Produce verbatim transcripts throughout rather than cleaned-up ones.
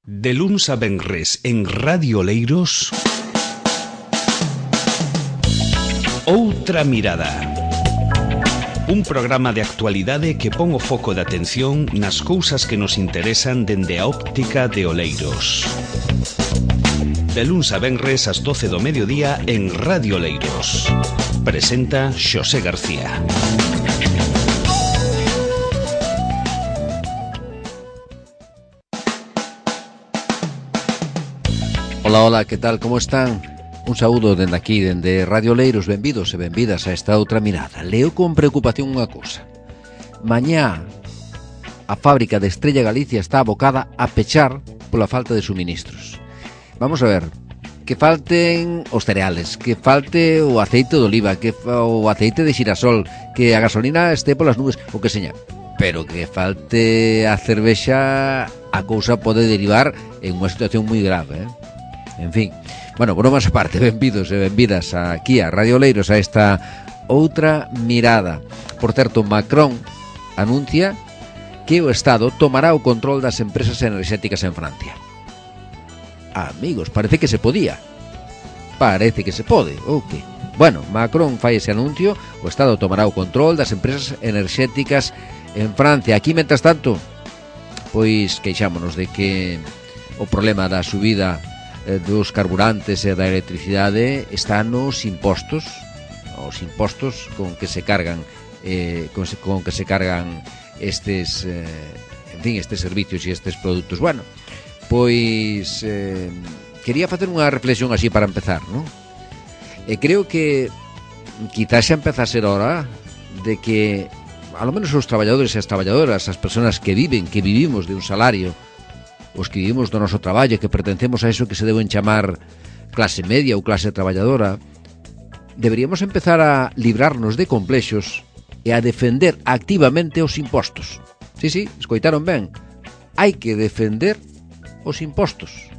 De luns a venres en Radio Oleiros, Outra Mirada. Un programa de actualidade que pon o foco de atención nas cousas que nos interesan dende a óptica de Oleiros. De luns a venres ás doce do mediodía en Radio Oleiros. Presenta Xosé García. Ola, ola, que tal, como están? Un saúdo dende aquí, dende Radio Oleiros. Benvidos e benvidas a esta outra mirada. Leo con preocupación unha cousa. Mañá a fábrica de Estrella Galicia está abocada a pechar pola falta de suministros. Vamos a ver, que falten os cereales, que falte o aceite de oliva, que o aceite de xirasol, que a gasolina este polas nubes, o que seña. Pero que falte a cervexa, a cousa pode derivar en unha situación moi grave, eh? En fin, bueno, bromas aparte, benvidos e benvidas aquí a Radio Oleiros, a esta outra mirada. Por certo, Macron anuncia que o Estado tomará o control das empresas enerxéticas en Francia. Amigos, parece que se podía. Parece que se pode, ou que? Bueno, Macron fai ese anuncio, o Estado tomará o control das empresas enerxéticas en Francia. Aquí, mentras tanto, pois queixámonos de que o problema da subida dos carburantes e da electricidade está nos impostos, os impostos con que se cargan eh, con, se, con que se cargan estes eh, en fin, estes servicios e estes produtos. Bueno, pois eh, quería facer unha reflexión así para empezar, non? E creo que quizás xa empeza a ser hora de que a lo menos os traballadores e as traballadoras, as persoas que viven, que vivimos de un salario, os que vivimos do noso traballo, que pertencemos a eso que se deben chamar clase media ou clase traballadora, deberíamos empezar a librarnos de complexos e a defender activamente os impostos. Sí, sí, escoitaron ben. Hai que defender os impostos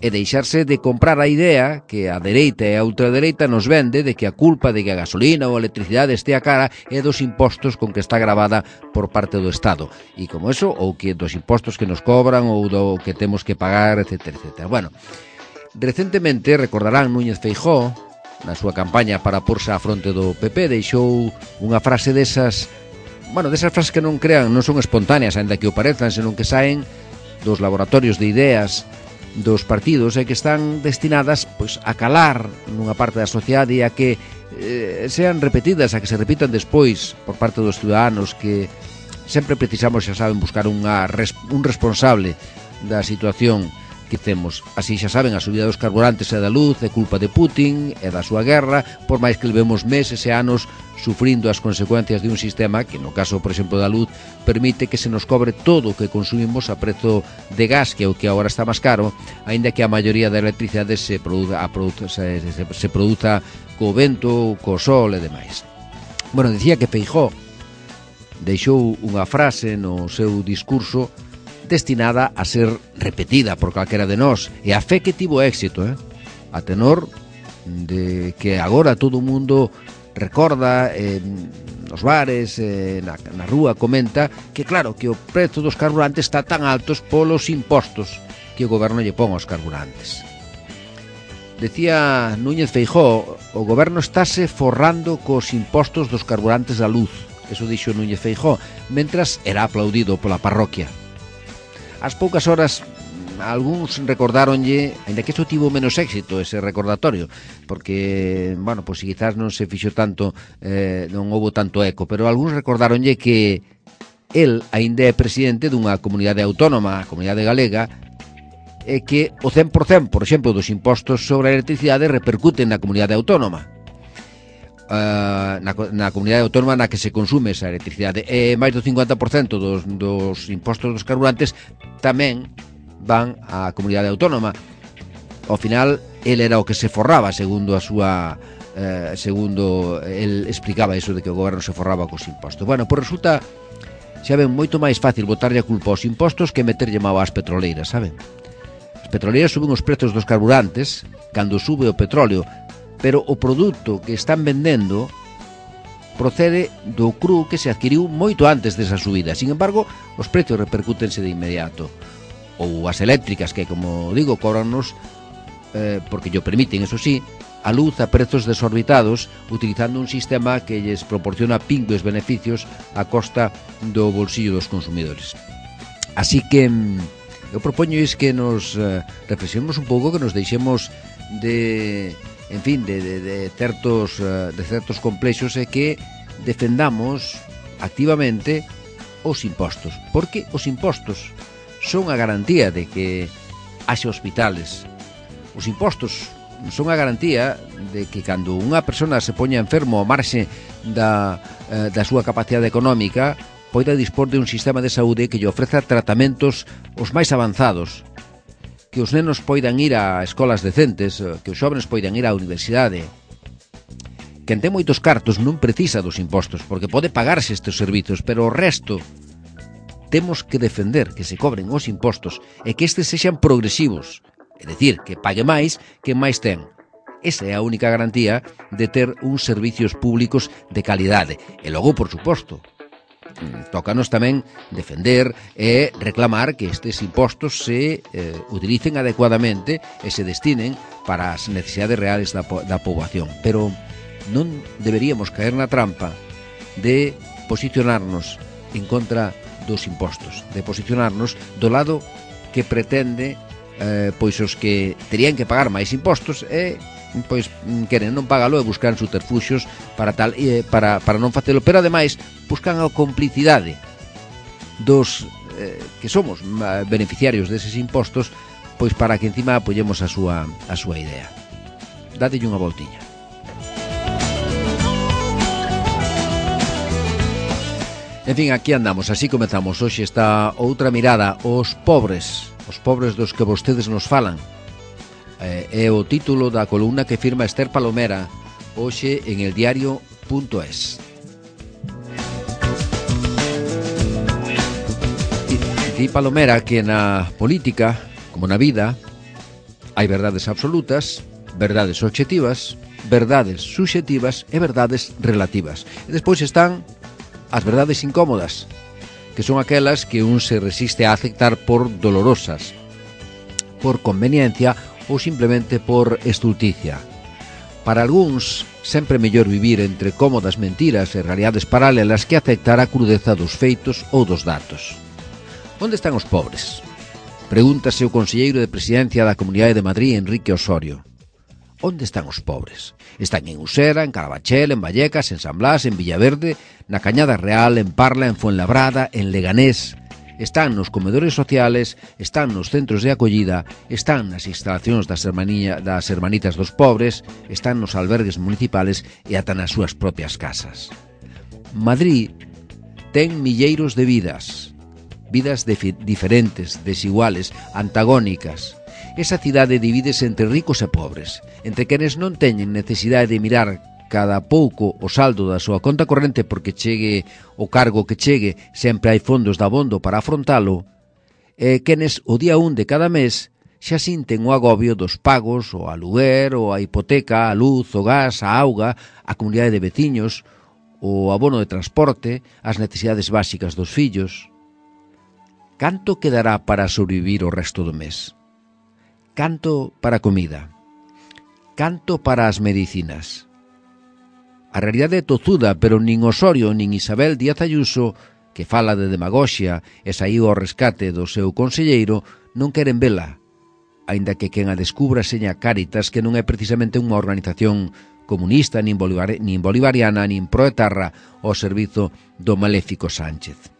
e deixarse de comprar a idea que a dereita e a ultradereita nos vende de que a culpa de que a gasolina ou a electricidade estea cara é dos impostos con que está gravada por parte do Estado. E como eso, ou que dos impostos que nos cobran ou do que temos que pagar, etcétera, etcétera. Bueno, recentemente, recordarán, Núñez Feijóo, na súa campaña para porse á fronte do P P, deixou unha frase desas, bueno, desas frases que non crean, non son espontáneas, ainda que o parezan, senón que saen dos laboratorios de ideas dos partidos e que están destinadas pois a calar nunha parte da sociedade e a que eh, sean repetidas, a que se repitan despois por parte dos ciudadanos, que sempre precisamos, xa saben, buscar unha, un responsable da situación que temos. Así, xa saben, a subida dos carburantes e da luz é culpa de Putin e da súa guerra, por máis que levemos meses e anos sufrindo as consecuencias de un sistema que, no caso, por exemplo, da luz, permite que se nos cobre todo o que consumimos a prezo de gas, que é o que agora está máis caro, aínda que a maioría da electricidade se produza, a produza, se, se, se produza co vento, co sol e demais. Bueno, dicía que Feijóo deixou unha frase no seu discurso destinada a ser repetida por calquera de nós, e a fe que tivo éxito, eh? A tenor de que agora todo o mundo recorda, eh, nos bares, eh, na, na rúa, comenta que claro, que o prezo dos carburantes está tan altos polos impostos que o goberno lle pon aos carburantes. Decía Núñez Feijóo, o goberno estáse forrando cos impostos dos carburantes da luz. Eso dixo Núñez Feijóo, mentras era aplaudido pola parroquia. Ás poucas horas, algúns recordáronlle, ainda que isto tivo menos éxito, ese recordatorio, porque, bueno, pois quizás non se fixo tanto, eh, non houbo tanto eco, pero algúns recordáronlle que el aínda é presidente dunha comunidade autónoma, a comunidade galega, e que o cen por cento, por exemplo, dos impostos sobre a electricidade repercuten na comunidade autónoma. Uh, na, na comunidade autónoma na que se consume esa electricidade, e máis do cincuenta por cento dos, dos impostos dos carburantes tamén van á comunidade autónoma. Ao final, el era o que se forraba, segundo a súa eh, segundo el explicaba iso de que o goberno se forraba cos impostos. Bueno, pois resulta, xa ven, moito máis fácil botarlle a culpa aos impostos que meterlle mau ás petroleiras, saben? As petroleiras suben os prezos dos carburantes cando sube o petróleo, pero o produto que están vendendo procede do cru que se adquiriu moito antes desa subida. Sin embargo, os precios repercútense de inmediato. ou as eléctricas que, como digo, cóbranos eh, porque llo permiten, eso sí, a luz a prezos desorbitados, utilizando un sistema que lles proporciona pingües beneficios a costa do bolsillo dos consumidores. Así que eu propoño es que nos eh, reflexionemos un pouco, que nos deixemos de, en fin, de, de, de certos uh, de certos complexos e que defendamos activamente os impostos, porque os impostos son a garantía de que haxe hospitales. Os impostos son a garantía de que cando unha persona se poña enfermo ao marxe da, eh, da súa capacidade económica poida dispor de un sistema de saúde que lle ofreza tratamentos os máis avanzados, que os nenos poidan ir a escolas decentes, que os xóvenes poidan ir á universidade. Quen ten moitos cartos non precisa dos impostos, porque pode pagarse estes servizos, pero o resto temos que defender que se cobren os impostos e que estes sexan progresivos. É dicir, que pague máis que máis ten. Esa é a única garantía de ter uns servicios públicos de calidade. E logo, por suposto, tócanos tamén defender e reclamar que estes impostos se eh, utilicen adecuadamente e se destinen para as necesidades reales da, da poboación. Pero non deberíamos caer na trampa de posicionarnos en contra dos impostos, de posicionarnos do lado que pretende eh, pois os que terían que pagar máis impostos e pois queren non pagalo e buscan subterfuxios para tal e para, para non facelo, pero ademais buscan a complicidade dos eh, que somos beneficiarios deses impostos, pois para que encima apoyemos a súa a súa idea. Dadelle unha voltiña. En fin, aquí andamos, así comezamos. Hoxe está outra mirada aos pobres, os pobres dos que vostedes nos falan. Eh, é o título da columna que firma Esther Palomera hoxe en el diario punto es. Di Palomera que na política, como na vida, hai verdades absolutas, verdades obxectivas, verdades subxectivas e verdades relativas. E despois están as verdades incómodas, que son aquelas que un se resiste a aceptar por dolorosas, por conveniencia ou simplemente por estulticia. Para algúns, sempre mellor vivir entre cómodas mentiras e realidades paralelas que aceptar a crudeza dos feitos ou dos datos. Onde están os pobres? Pregúntase o conselleiro de Presidencia da Comunidade de Madrid, Enrique Osorio. Onde están os pobres? Están en Usera, en Carabachel, en Vallecas, en San Blas, en Villaverde, na Cañada Real, en Parla, en Fuenlabrada, en Leganés. Están nos comedores sociales, están nos centros de acollida, están nas instalacións das, hermanía, das hermanitas dos pobres, están nos albergues municipales e ata nas súas propias casas. Madrid ten milleiros de vidas, vidas de diferentes, desiguales, antagónicas. Esa cidade divídese entre ricos e pobres, entre quenes non teñen necesidade de mirar cada pouco o saldo da súa conta corrente porque chegue o cargo que chegue, sempre hai fondos de abondo para afrontalo, e quenes o día un de cada mes xa sinten o agobio dos pagos, o aluguer, ou a hipoteca, a luz, o gas, a auga, a comunidade de veciños, o abono de transporte, as necesidades básicas dos fillos. Canto quedará para sobrevivir o resto do mes? Canto para a comida? Canto para as medicinas? A realidade é tozuda, pero nin Osorio nin Isabel Díaz Ayuso, que fala de demagoxia e saíu ao rescate do seu conselleiro, non queren vela, aínda que quen a descubra seña Cáritas, que non é precisamente unha organización comunista, nin, bolivar, nin bolivariana, nin proetarra ao servizo do maléfico Sánchez.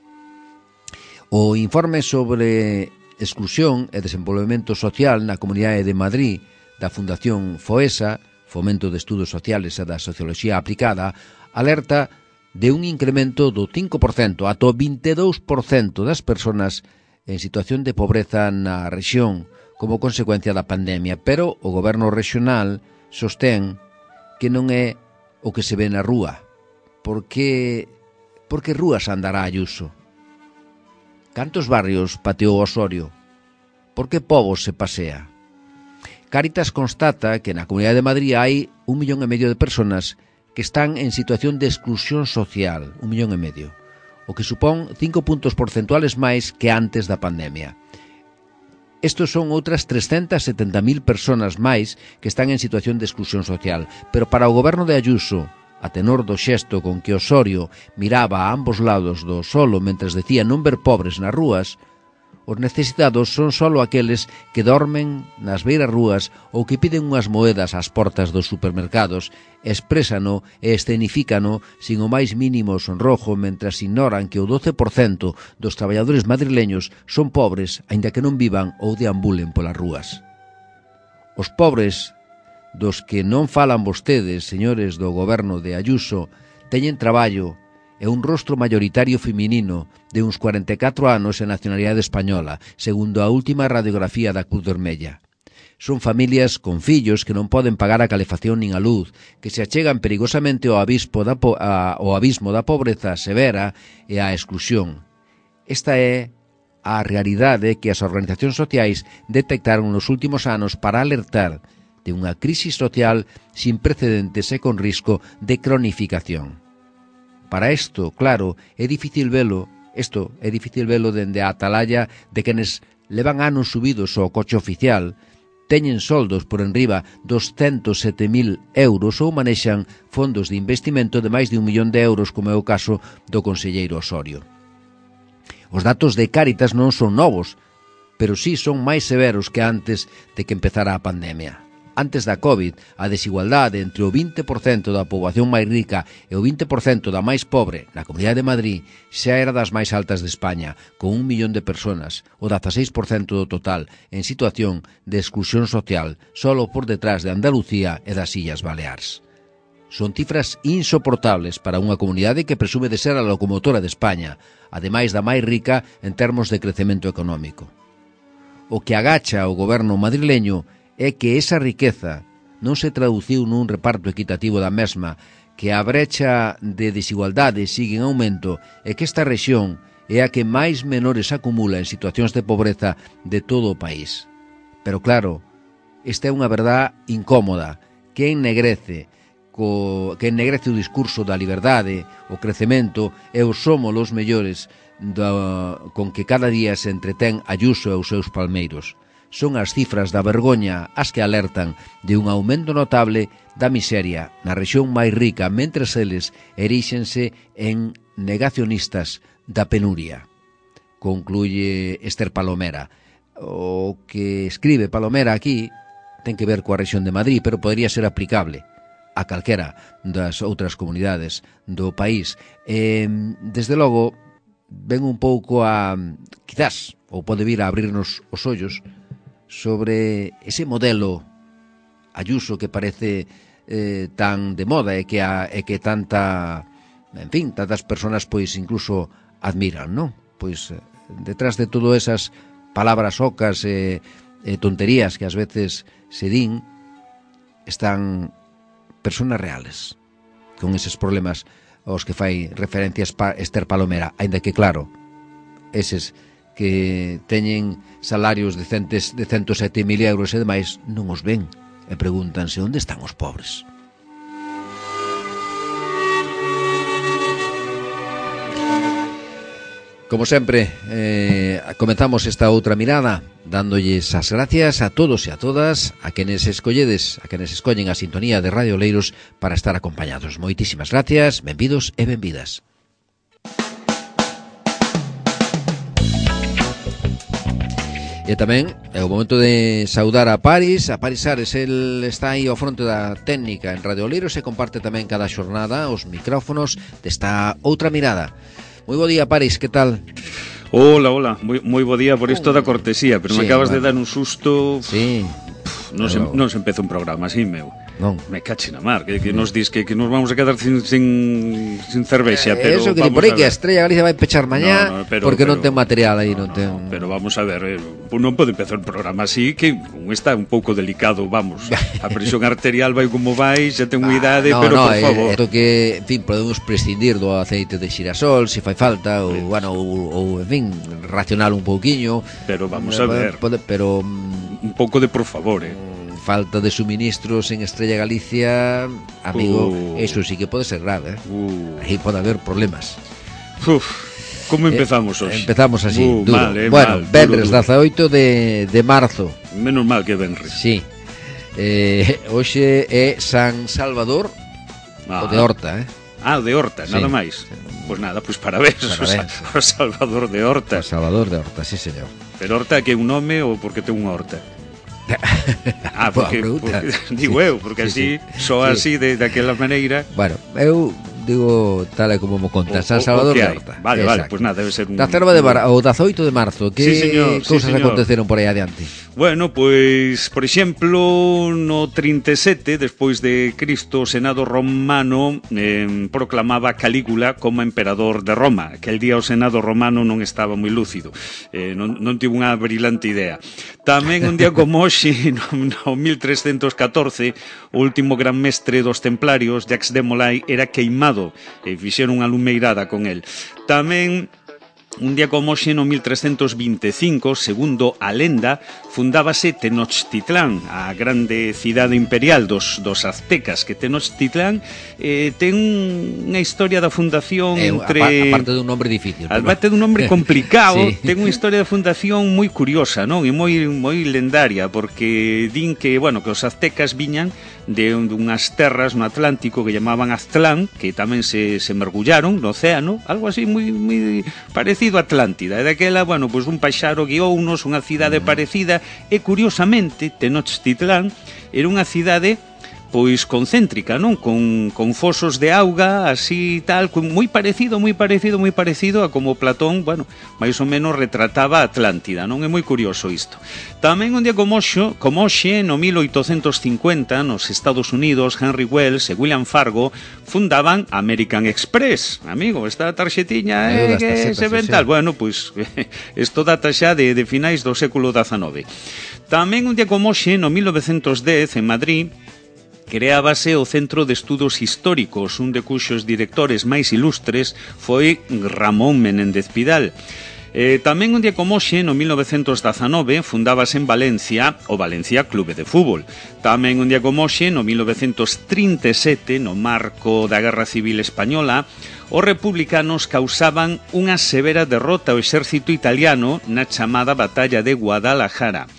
O informe sobre exclusión e desenvolvemento social na Comunidade de Madrid da Fundación FOESA, Fomento de Estudos Sociales e da Socioloxía Aplicada, alerta de un incremento do cinco por cento ata o vinte e dous por cento das persoas en situación de pobreza na rexión como consecuencia da pandemia, pero o goberno rexional sostén que non é o que se ve na rúa. Por que, por que rúas andará Ayuso? Cantos barrios pateou Osorio? Por que povos se pasea? Cáritas constata que na Comunidade de Madrid hai un millón e medio de personas que están en situación de exclusión social, un millón e medio, o que supón cinco puntos porcentuales máis que antes da pandemia. Estos son outras trescentas setenta mil personas máis que están en situación de exclusión social. Pero para o goberno de Ayuso, a tenor do xesto con que Osorio miraba a ambos lados do solo mentres decía non ver pobres nas rúas, os necesitados son solo aqueles que dormen nas beiras rúas ou que piden unhas moedas ás portas dos supermercados, exprésano e escenifícano sin o máis mínimo sonrojo mentras ignoran que o doce por cento dos traballadores madrileños son pobres aínda que non vivan ou deambulen polas rúas. Os pobres dos que non falan vostedes, señores do goberno de Ayuso, teñen traballo e un rostro mayoritario feminino de uns cuarenta e catro anos e nacionalidade española, segundo a última radiografía da Cruz Vermella. Son familias con fillos que non poden pagar a calefacción nin a luz, que se achegan perigosamente ao abismo da, po- a, ao abismo da pobreza severa e á exclusión. Esta é a realidade que as organizacións sociais detectaron nos últimos anos para alertar de unha crisis social sin precedentes e con risco de cronificación. Para isto, claro, é difícil velo, isto é difícil velo dende a atalaya de quenes levan anos subidos ao coche oficial, teñen soldos por enriba dos ciento sete mil euros ou manexan fondos de investimento de máis de un millón de euros, como é o caso do conselleiro Osorio. Os datos de Cáritas non son novos, pero sí son máis severos que antes de que empezara a pandemia. Antes da COVID, a desigualdade entre o vinte por cento da poboación máis rica e o vinte por cento da máis pobre na Comunidade de Madrid xa era das máis altas de España, con un millón de personas, o dezaseis por cento do total, en situación de exclusión social, solo por detrás de Andalucía e das Illas Baleares. Son cifras insoportables para unha comunidade que presume de ser a locomotora de España, ademais da máis rica en termos de crecemento económico. O que agacha o goberno madrileño é que esa riqueza non se traduciu nun reparto equitativo da mesma, que a brecha de desigualdade sigue en aumento e que esta rexión é a que máis menores acumula en situacións de pobreza de todo o país. Pero claro, esta é unha verdad incómoda que ennegrece, co, que ennegrece o discurso da liberdade, o crecemento e o somos os mellores do, con que cada día se entretén Ayuso e os seus palmeiros. Son as cifras da vergoña as que alertan de un aumento notable da miseria na rexión máis rica, mentres eles eríxense en negacionistas da penuria. Concluye Esther Palomera. O que escribe Palomera aquí ten que ver coa rexión de Madrid, pero podría ser aplicable a calquera das outras comunidades do país. E, desde logo, ven un pouco a, quizás, ou pode vir a abrirnos os ollos sobre ese modelo Ayuso que parece eh, tan de moda e que, a, e que tanta, en fin, tantas personas pois incluso admiran, non? Pois detrás de todo esas palabras ocas e, e tonterías que ás veces se din, están personas reales con eses problemas aos que fai referencias Esther Palomera, aínda que claro, eses que teñen salarios de, centes, de ciento sete mil euros e demais non os ven e pregúntanse onde están os pobres. Como sempre, eh, comenzamos esta outra mirada dándolles as gracias a todos e a todas, a quenes escolledes, a quenes escollen a sintonía de Radio Oleiros para estar acompañados. Moitísimas gracias, benvidos e benvidas. E tamén é o momento de saudar a Paris, a Paris Ares, el está aí ao fronte da técnica en Radio Oleiros e comparte tamén cada xornada os micrófonos desta outra mirada. Moi bo día, Paris, que tal? Hola, hola, moi, moi bo día por isto da cortesía, pero sí, me acabas bueno. de dar un susto. Sí. Pff, non, pero... se, non se empeza un programa así, meu. Non. Me cache na mar, que, que nos dis que, que nos vamos a quedar sin, sin, sin cervexa, eh, pero eso que di por aí que a Estrella Galicia vai pechar mañá no, no, pero, porque pero, non ten material aí, non, non ten. No, pero vamos a ver, eh, non pode empezar un programa así que un está un pouco delicado, vamos. A presión arterial vai como vai, xa ten unha idade, ah, no, pero no, por favor. Isto que, en fin, podemos prescindir do aceite de xirasol se fai falta ou, sí. bueno, ou, ou en fin, racional un pouquiño. Pero vamos a ver. Pode, pero un pouco de por favor, eh. Falta de suministros en Estrella Galicia, amigo, uh, eso sí que pode ser grave, eh? uh. Aí pode haber problemas. Uf, Como empezamos hoxe? Eh, empezamos así, uh, duro. Mal, eh, bueno, mal, venres duro, duro. dezaoito de, de marzo. Menos mal que venres. Sí. Eh, hoxe é San Salvador, Ah. o de Horta, eh? Ah, o de Horta, Sí. nada máis. Pois pues nada, pois pues parabéns, Parabéns. O, Salvador de Horta. O Salvador de Horta, sí, señor. Pero Horta que é un nome ou porque ten unha horta? Ah, Boa porque, pregunta. porque digo Sí. eu, porque Sí, así, sí. só Sí. así de daquela maneira. Bueno, eu digo tal e como mo conta, O- San o- o Salvador que de hai. Horta. Vale, vale, Exacto. pois nada, debe ser un... Da cerva de Mar, o dezaoito de marzo, que Sí, señor, sí, cousas señor. aconteceron por aí adiante? Bueno, pois, por exemplo, no trinta e sete, despois de Cristo, o Senado romano eh, proclamaba a Calígula como emperador de Roma. Aquel día o Senado romano non estaba moi lúcido, eh, non, non tivo unha brillante idea. Tamén un día como hoxe, no, no mil trescentos catorce, o último gran mestre dos templarios, Jacques de Molay, era queimado e fixeron unha lumeirada con el. Tamén un día como hoxe no mil trescentos vinte e cinco, segundo a lenda, fundábase Tenochtitlán, a grande cidade imperial dos, dos aztecas, que Tenochtitlán eh, ten unha historia da fundación Eh, entre... a, parte dun nombre difícil. Aparte dun nombre complicado, Sí. ten unha historia de fundación moi curiosa, non? E moi moi lendaria, porque din que, bueno, que os aztecas viñan de un- dunhas terras no Atlántico que llamaban Aztlán, que tamén se, se mergullaron no océano, algo así moi, moi parecido a Atlántida. E daquela, bueno, pois un paxaro guiounos, unha cidade Mm. parecida, e curiosamente, Tenochtitlán era unha cidade pois concéntrica, non? Con, con fosos de auga, así tal, con- moi parecido, moi parecido, moi parecido a como Platón, bueno, máis ou menos retrataba a Atlántida, non? É moi curioso isto. Tamén un día como hoxe, como hoxe, no mil oitocentos cincuenta, nos Estados Unidos, Henry Wells e William Fargo fundaban American Express. Amigo, esta tarxetiña Eu eh, das que tarxetas, se ven sí, tal. sí. Bueno, pois, isto data xa de, de finais do século dezanove. Tamén un día como hoxe, no mil novecentos dez, en Madrid, creábase o Centro de Estudos Históricos, un de cuxos directores máis ilustres foi Ramón Menéndez Pidal. Eh, tamén un día como hoxe, no mil novecentos dezanove, fundábase en Valencia o Valencia Clube de Fútbol. Tamén un día como hoxe, no mil novecentos trinta e sete, no marco da Guerra Civil Española, os republicanos causaban unha severa derrota ao exército italiano na chamada Batalla de Guadalajara.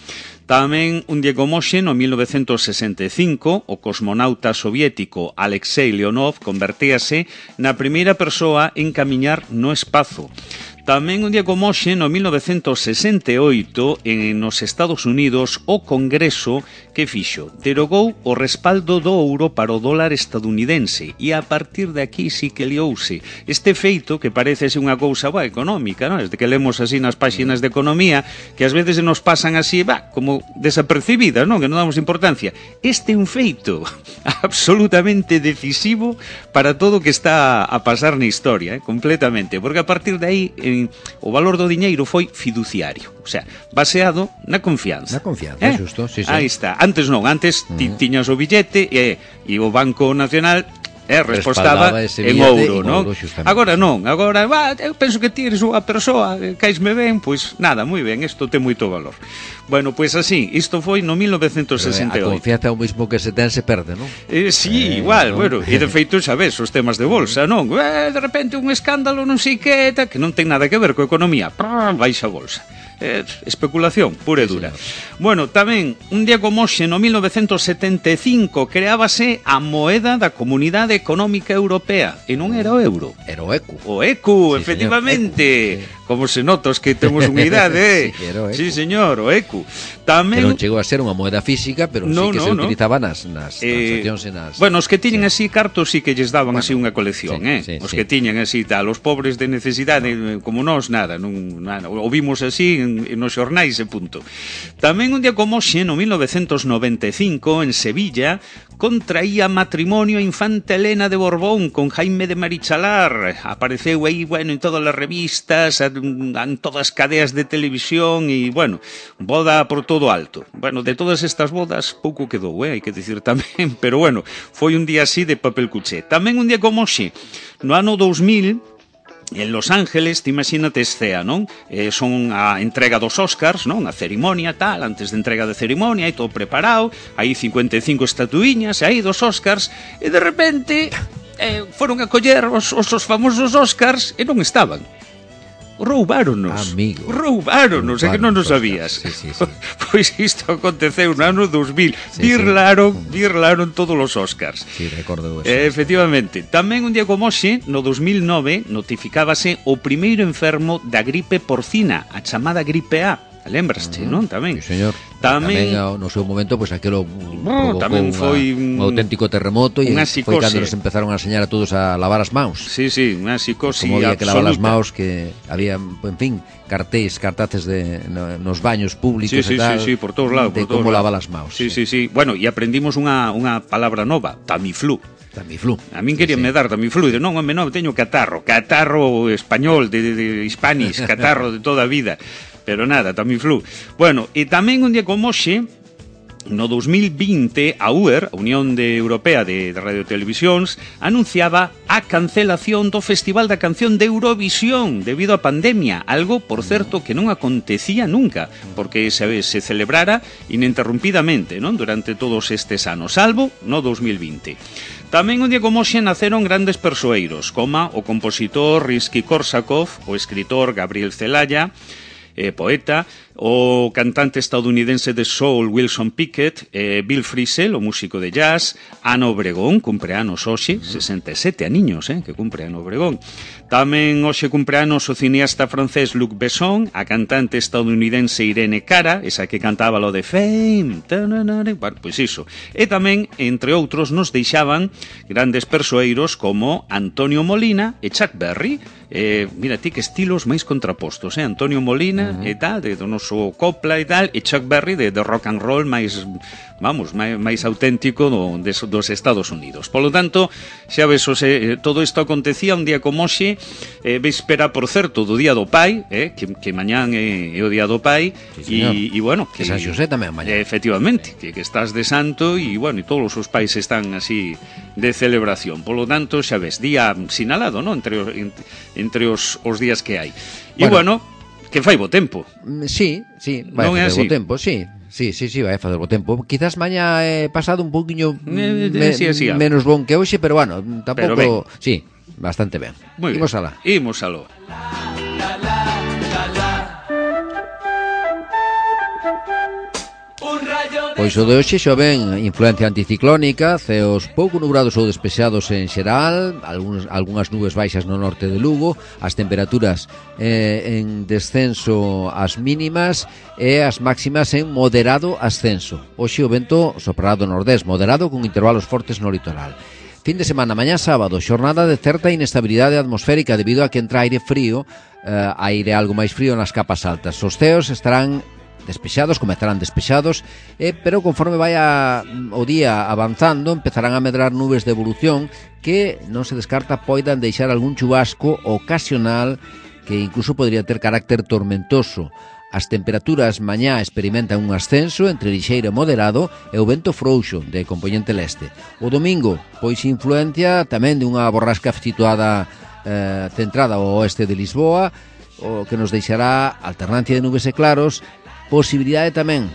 Tamén un día como hoxe, no mil novecentos sesenta e cinco, o cosmonauta soviético Alexei Leonov convertíase na primeira persoa en camiñar no espazo. Tamén un día como hoxe, no mil novecentos sesenta e oito, en nos Estados Unidos, o Congreso que fixo derogou o respaldo do ouro para o dólar estadounidense e a partir de aquí sí que liouse. Este feito, que parece ser unha cousa boa, económica, non? Desde que lemos así nas páxinas de economía, que ás veces se nos pasan así, bah, como desapercibidas, non? Que non damos importancia. Este é un feito absolutamente decisivo para todo o que está a pasar na historia, eh? Completamente, porque a partir de aí eh, o valor do diñeiro foi fiduciario, o sea, baseado na confianza. Na confianza, eh? xusto, sí, sí. Aí está. Antes non, antes ti, tiñas o billete e, e o Banco Nacional eh, respostaba Respaldaba ese en billete ouro, en non? ouro, xustamente. Agora non, agora, va, eu penso que ti eres unha persoa, eh, caisme ben, pois nada, moi ben, isto ten moito valor. Bueno, pois así, isto foi no mil novecentos sesenta e A oito. confianza é o mismo que se ten se perde, non? Eh, sí, Eh, igual, non? bueno, e de feito xa ves os temas de bolsa, non? Eh, de repente un escándalo non sei que, ta, que non ten nada que ver coa economía, prrr, baixa a bolsa. Eh, especulación pura e dura. Bueno, tamén, un día como hoxe, no mil novecentos setenta e cinco, creábase a moeda da Comunidade Económica Europea, e non era o euro. Era o eco. O ecu, Sí, efectivamente. señor, ecu, Como se notos que temos unha idade, eh? Sí, era o ecu. Sí, señor, o ecu. Que Tamén... non chegou a ser unha moeda física, pero No, sí que no, se no. utilizaba nas, nas Eh, transaccións e nas... bueno, os que tiñen sí. así cartos sí que lles daban Bueno, así unha colección, sí, eh? sí, Os sí. que tiñan así tal, os pobres de necesidade no. Como nós, nada, non, nada, o vimos así en, en nos xornais e punto. Tamén un día como hoxe, no mil novecentos noventa e cinco, en Sevilla, contraía matrimonio a infanta Elena de Borbón con Jaime de Marichalar. Apareceu aí, bueno, en todas as revistas, en, en todas as cadeas de televisión e, bueno, boda por todo alto. Bueno, de todas estas bodas pouco quedou, eh, hai que dicir tamén, pero bueno, foi un día así de papel cuché. Tamén un día como hoxe, no ano dous mil, en Los Ángeles, te imagínate escea, non? Eh, son a entrega dos Oscars, non? A cerimonia, tal, antes de entrega de cerimonia, aí todo preparado, aí cincuenta e cinco estatuiñas, aí dos Oscars, e de repente eh, foron a coller os, os, os famosos Oscars e non estaban. roubáronos. Amigo. Roubáronos, é que non nos sabías. Sí, sí, sí. Pois isto aconteceu no ano dos mil. Sí, birlaron, sí. birlaron todos os Óscars. Sí, recordo eso. Eh, efectivamente. Tamén un día como hoxe, no dos mil nove, notificábase o primeiro enfermo da gripe porcina, a chamada gripe A. Lembraste, non? Tamén. Sí, señor. Tamén, tamén no seu momento, pois aquilo oh, tamén foi un auténtico terremoto e foi cando nos empezaron a enseñar a todos a lavar as maus. Sí, sí, unha psicosis Como había que lavar as absoluta. maus, que había, en fin, cartéis, cartaces de, no, nos baños públicos Sí, sí, e tal, sí, sí, por todos lados, de por todos como lados. lavar as maus. Sí, sí, sí. Bueno, e aprendimos unha, unha palabra nova, Tamiflu. Tamiflu. A min queríame sí, sí. dar Tamiflu, e de non, home, non, teño catarro, catarro español, de, de, de Hispanis, catarro de toda a vida. Pero nada, Tamiflu. Bueno, e tamén un día como hoxe, no dos mil vinte, a U E R, a Unión de Europea de, de Radio e Televisións, anunciaba a cancelación do Festival da Canción de Eurovisión debido á pandemia, algo, por certo, que non acontecía nunca, porque se, se celebrara ininterrumpidamente, non, durante todos estes anos, salvo no dos mil vinte. Tamén un día como hoxe naceron grandes persoeiros, como o compositor Rimsky-Korsakov, o escritor Gabriel Celaya, eh, poeta, o cantante estadounidense de soul Wilson Pickett, eh, Bill Frisell, o músico de jazz, Ana Obregón, cumpleanos hoxe, sesenta e sete aniños, eh, que cumpre Ana Obregón. Tamén hoxe cumpleanos o cineasta francés Luc Besson, a cantante estadounidense Irene Cara, esa que cantaba lo de Fame, tananare, bueno, pois iso. E tamén, entre outros, nos deixaban grandes persoeiros como Antonio Molina e Chuck Berry. Eh, mira ti que estilos máis contrapostos, eh? Antonio Molina uh -huh. e tal, de do noso copla e tal, e Chuck Berry de, de rock and roll máis, vamos, máis, máis auténtico do, de, dos Estados Unidos. Polo tanto, xa ves, ose, todo isto acontecía un día como hoxe, eh, véspera, por certo, do Día do Pai, eh, que, que mañán é, é o Día do Pai, sí, e, e bueno, que San Xosé tamén mañán. Eh, efectivamente, que, que estás de santo, e bueno, e todos os pais están así de celebración. Polo tanto, xa ves, día sinalado, non? Entre, entre os, os días que hai. E bueno, bueno que fai bo tempo. Sí, sí, vai non facer bo tempo, sí. Sí, sí, sí, vai facer bo tempo. Quizás mañá é eh, pasado un poquinho eh, me, sí, sí, menos bon que hoxe, pero bueno, tampouco, sí, bastante ben. Muy Imos bien. alá. Imos aló. Pois o de hoxe xa ven influencia anticiclónica, ceos pouco nubrados ou despexados en xeral, algúns, algunhas nubes baixas no norte de Lugo, as temperaturas eh, en descenso as mínimas e as máximas en moderado ascenso. Hoxe o vento soprará do nordés, moderado con intervalos fortes no litoral. Fin de semana, mañá sábado, xornada de certa inestabilidade atmosférica debido a que entra aire frío, eh, aire algo máis frío nas capas altas. Os ceos estarán despexados, comezarán despexados, eh, pero conforme vai a, o día avanzando, empezarán a medrar nubes de evolución que non se descarta poidan deixar algún chubasco ocasional que incluso podría ter carácter tormentoso. As temperaturas mañá experimentan un ascenso entre lixeiro e moderado e o vento frouxo de compoñente leste. O domingo, pois influencia tamén de unha borrasca situada eh, centrada ao oeste de Lisboa, o que nos deixará alternancia de nubes e claros, posibilidade tamén,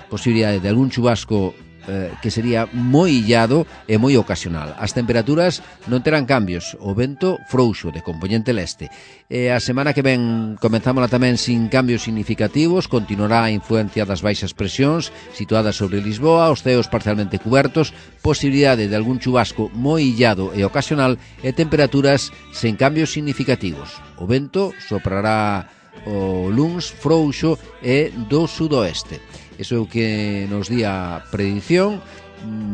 posibilidade de algún chubasco eh, que sería moi illado e moi ocasional. As temperaturas non terán cambios, o vento frouxo de compoñente leste. E a semana que ven comenzámola tamén sin cambios significativos, continuará a influencia das baixas presións situadas sobre Lisboa, os ceos parcialmente cubertos, posibilidade de algún chubasco moi illado e ocasional e temperaturas sen cambios significativos. O vento soprará o luns frouxo e do sudoeste. Eso é o que nos di a predición.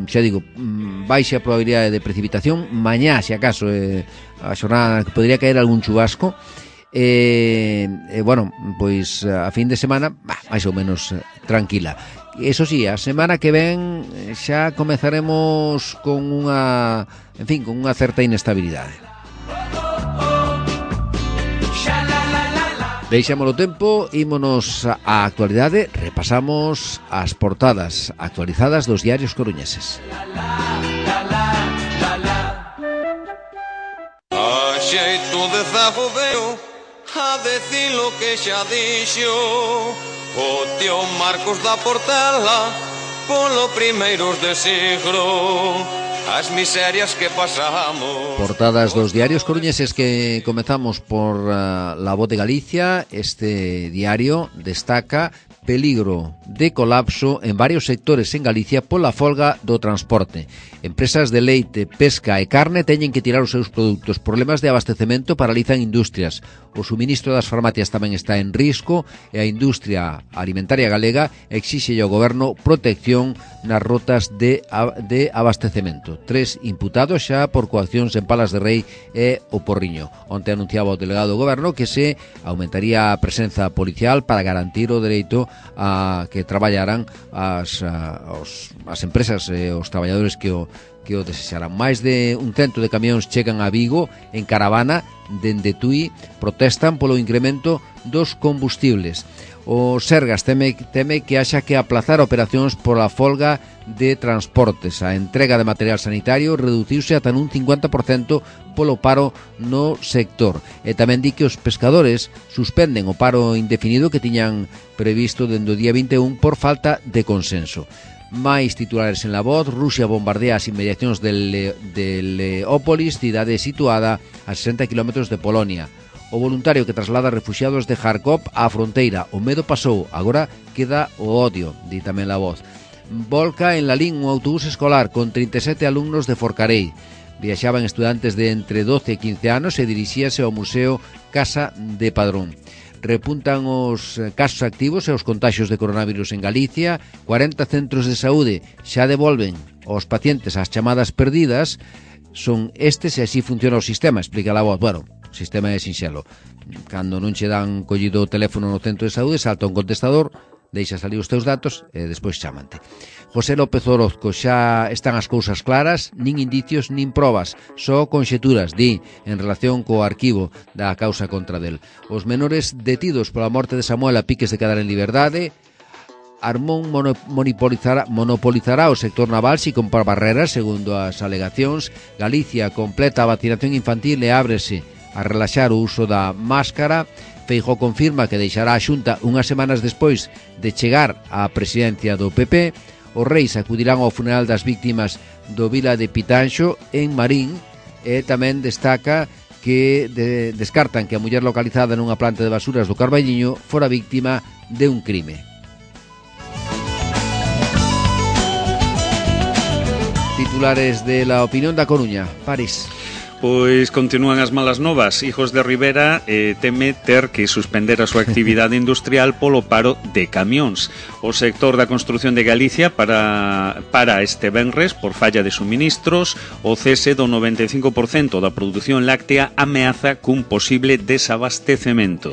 Xa digo, baixa a probabilidade de precipitación. Mañá, se acaso, é a xornada que podría caer algún chubasco. E, e bueno, pois a fin de semana, bah, máis ou menos tranquila. Eso sí, a semana que ven xa comezaremos con unha, en fin, con unha certa inestabilidade. Deixámolo tempo, ímonos á actualidade, repasamos as portadas actualizadas dos diarios coruñeses. A xeito de zago veo a decir lo que xa dixo o tío Marcos da Portela polo primeiros de siglo. as miserias que pasamos. Portadas dos diarios coruñeses, que comezamos por uh, La Voz de Galicia. Este diario destaca peligro de colapso en varios sectores en Galicia pola folga do transporte. Empresas de leite, pesca e carne teñen que tirar os seus produtos. Problemas de abastecemento paralizan industrias. O suministro das farmacias tamén está en risco e a industria alimentaria galega exixe ao goberno protección nas rotas de, de abastecemento. Tres imputados xa por coaccións en Palas de Rei e o Porriño. Onte anunciaba o delegado do goberno que se aumentaría a presenza policial para garantir o dereito a que traballaran as, a, os, as empresas e os traballadores que o que o desexaran. Máis de un cento de camións chegan a Vigo en caravana dende Tui, protestan polo incremento dos combustibles. O Sergas teme, teme que haxa que aplazar operacións pola folga de transportes. A entrega de material sanitario reduciuse ata nun cincuenta por cento polo paro no sector. E tamén di que os pescadores suspenden o paro indefinido que tiñan previsto dende o día vinte e un por falta de consenso. Máis titulares en La Voz. Rusia bombardea as inmediacións de, Le, de Leópolis, cidade situada a sesenta kilómetros de Polonia. O voluntario que traslada refuxiados de Kharkov á fronteira. O medo pasou, agora queda o odio, di tamén La Voz. Volca en Lalín un autobús escolar con trinta e sete alumnos de Forcarei. Viaxaban estudantes de entre doce e quince anos e dirixíase ao Museo Casa de Padrón. Repuntan os casos activos e os contaxios de coronavirus en Galicia. cuarenta centros de saúde xa devolven aos pacientes as chamadas perdidas. Son estes e así funciona o sistema, explica La Voz. Bueno, o sistema é sinxelo. Cando non che dan collido o teléfono no centro de saúde, salta un contestador, deixa salir os teus datos e despois chamante. José López Orozco, xa están as cousas claras, nin indicios nin probas, só conxeturas, di, en relación co arquivo da causa contra del. Os menores detidos pola morte de Samuel a piques de quedar en liberdade. Armón monopolizará, monopolizará o sector naval si compra barreras, segundo as alegacións. Galicia completa a vacinación infantil e ábrese a relaxar o uso da máscara. Feijóo confirma que deixará a Xunta unhas semanas despois de chegar á presidencia do P P. Os reis acudirán ao funeral das víctimas do Vila de Pitanxo en Marín, e tamén destaca que de, descartan que a muller localizada nunha planta de basuras do Carballiño fora víctima de un crime. Titulares de La Opinión da Coruña. París. Pois continúan as malas novas. Hijos de Rivera eh, teme ter que suspender a súa actividade industrial polo paro de camións. O sector da construción de Galicia para, para este venres por falla de suministros. O cese do noventa e cinco por cento da produción láctea ameaza cun posible desabastecemento.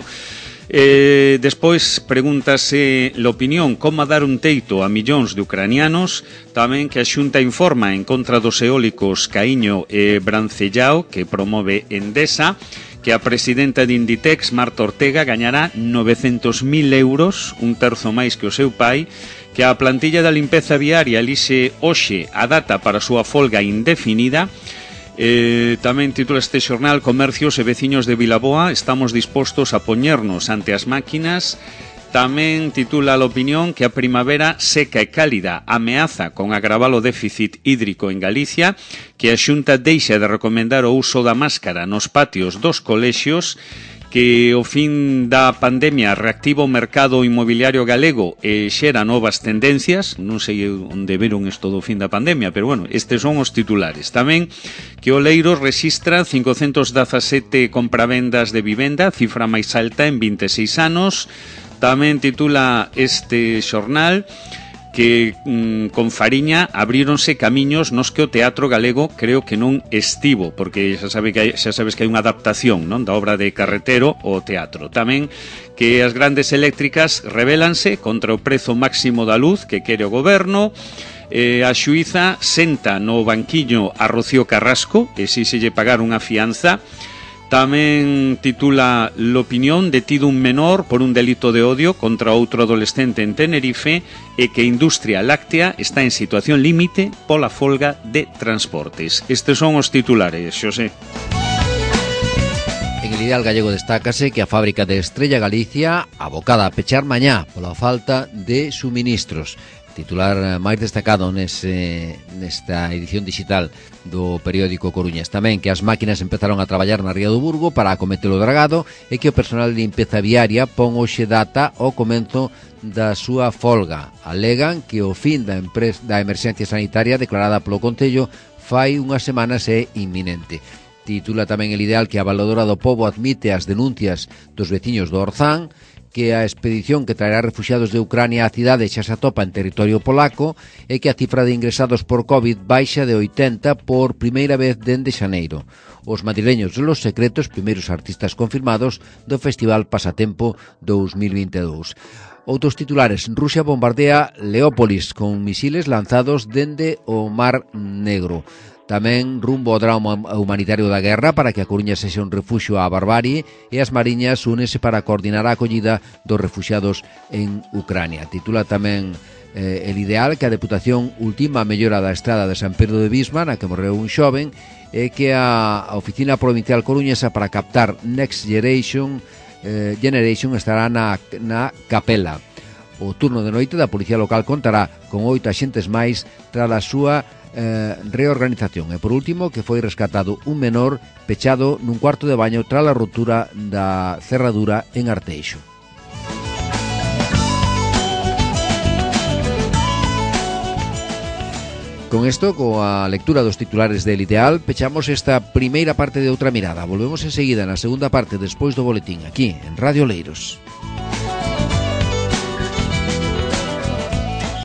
Eh, despois pregúntase l'opinión como dar un teito a millóns de ucranianos. Tamén que a Xunta informa en contra dos eólicos Caíño e Brancellao que promove Endesa, que a presidenta de Inditex, Marta Ortega, gañará novecentos mil euros, un terzo máis que o seu pai, que a plantilla da limpeza viaria elixe hoxe a data para a súa folga indefinida. Eh, tamén titula este xornal: comercios e veciños de Vilaboa estamos dispostos a poñernos ante as máquinas. Tamén titula a opinión que a primavera seca e cálida ameaza con agravar o déficit hídrico en Galicia, que a Xunta deixa de recomendar o uso da máscara nos patios dos colexios, que o fin da pandemia reactiva o mercado inmobiliario galego e xera novas tendencias. Non sei onde veron isto do fin da pandemia, pero bueno, estes son os titulares. Tamén que Oleiros rexistra cincocentos dezasete compravendas de vivenda, cifra máis alta en vinte e seis anos. Tamén titula este xornal que mm, con Fariña abríronse camiños nos que o teatro galego creo que non estivo, porque xa, sabe que hai, xa sabes que hai unha adaptación, non, da obra de Carretero ao teatro. Tamén que as grandes eléctricas rebelanse contra o prezo máximo da luz que quere o goberno. Eh, a xuíza senta no banquiño a Rocío Carrasco e si se lle pagar unha fianza. Tamén titula l'opinión: detido un menor por un delito de odio contra outro adolescente en Tenerife, e que a industria láctea está en situación límite pola folga de transportes. Estes son os titulares, Xosé. En el el Ideal Gallego destácase que a fábrica de Estrella Galicia abocada a pechar mañá pola falta de suministros. Titular máis destacado nese, nesta edición digital do periódico coruñés. Tamén que as máquinas empezaron a traballar na Ría do Burgo para acometer o dragado e que o personal de limpeza viaria pon hoxe data ao comenzo da súa folga. Alegan que o fin da, empres- da emerxencia sanitaria declarada polo Concello fai unhas semanas é inminente. Titula tamén el Ideal que a Valedora do Pobo admite as denuncias dos veciños do Orzán, que a expedición que traerá refuxiados de Ucrania á cidade xa se atopa en territorio polaco e que a cifra de ingresados por COVID baixa de oitenta por primeira vez dende xaneiro. Os madrileños de Los Secretos, primeiros artistas confirmados do Festival Pasatempo dous mil vinte e dous. Outros titulares: Rusia bombardea Leópolis con misiles lanzados dende o Mar Negro. Tamén rumbo ao drama humanitario da guerra para que a Coruña sexa un refuxio á barbarie e as mariñas únese para coordinar a acollida dos refuxiados en Ucrania. Titula tamén eh, el Ideal que a Deputación ultima a mellora da estrada de San Pedro de Bisma, na que morreu un xoven, e que a, a Oficina Provincial Coruñesa para captar Next Generation, eh, Generation estará na, na Capela. O turno de noite da Policía Local contará con oito axentes máis tras a súa Eh, reorganización. E por último, que foi rescatado un menor pechado nun cuarto de baño tras a rotura da cerradura en Arteixo. Con isto, coa lectura dos titulares del Ideal, pechamos esta primeira parte de Outra Mirada. Volvemos enseguida na segunda parte despois do boletín, aquí en Radio Leiros.